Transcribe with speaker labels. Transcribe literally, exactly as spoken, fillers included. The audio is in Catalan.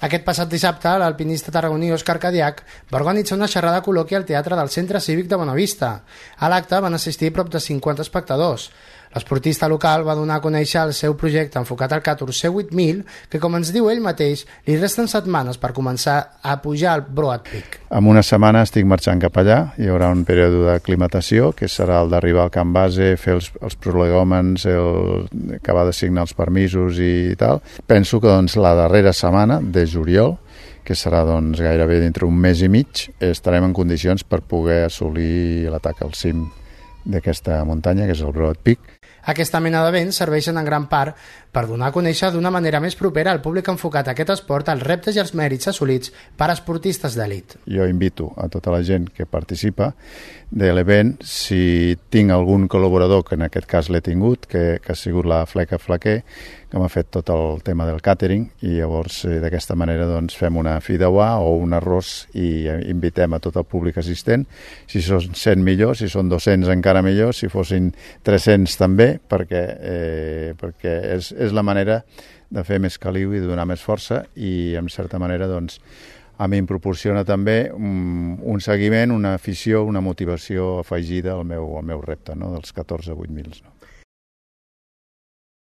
Speaker 1: Aquest passat dissabte, l'alpinista tarragoní Òscar Cadiach va organitzar una xerrada col·loqui al Teatre del Centre Cívic de Bonavista. A l'acte van assistir prop de cinquanta espectadors. L'esportista local va donar a conèixer el seu projecte enfocat al catorzè vuit mil, que, com ens diu ell mateix, li resten setmanes per començar a pujar al Broad Peak.
Speaker 2: En una setmana estic marxant cap allà. Hi haurà un període d'aclimatació, que serà el d'arribar al camp base, fer els, els prolegòmens, el, acabar de signar els permisos i tal. Penso que doncs, la darrera setmana de juliol, que serà doncs, gairebé dintre un mes i mig, estarem en condicions per poder assolir l'atac al cim d'aquesta muntanya, que és el Broad Peak.
Speaker 1: Aquesta mena d'events serveixen en gran part per donar a conèixer d'una manera més propera al públic enfocat a aquest esport els reptes i els mèrits assolits per esportistes d'elit.
Speaker 2: Jo invito a tota la gent que participa de l'event, si tinc algun col·laborador, que en aquest cas l'he tingut, que, que ha sigut la Fleca Flaquer, que m'ha fet tot el tema del càtering, i llavors eh, d'aquesta manera doncs, fem una fideuà o un arròs i invitem a tot el públic assistent. Si són cent millor, si són dos-cents encara millor, si fossin tres-cents també, perquè, eh, perquè és, és la manera de fer més caliu i de donar més força, i en certa manera doncs, a mi em proporciona també un, un seguiment, una afició, una motivació afegida al meu, al meu repte, no? Dels catorze vuit mil. No?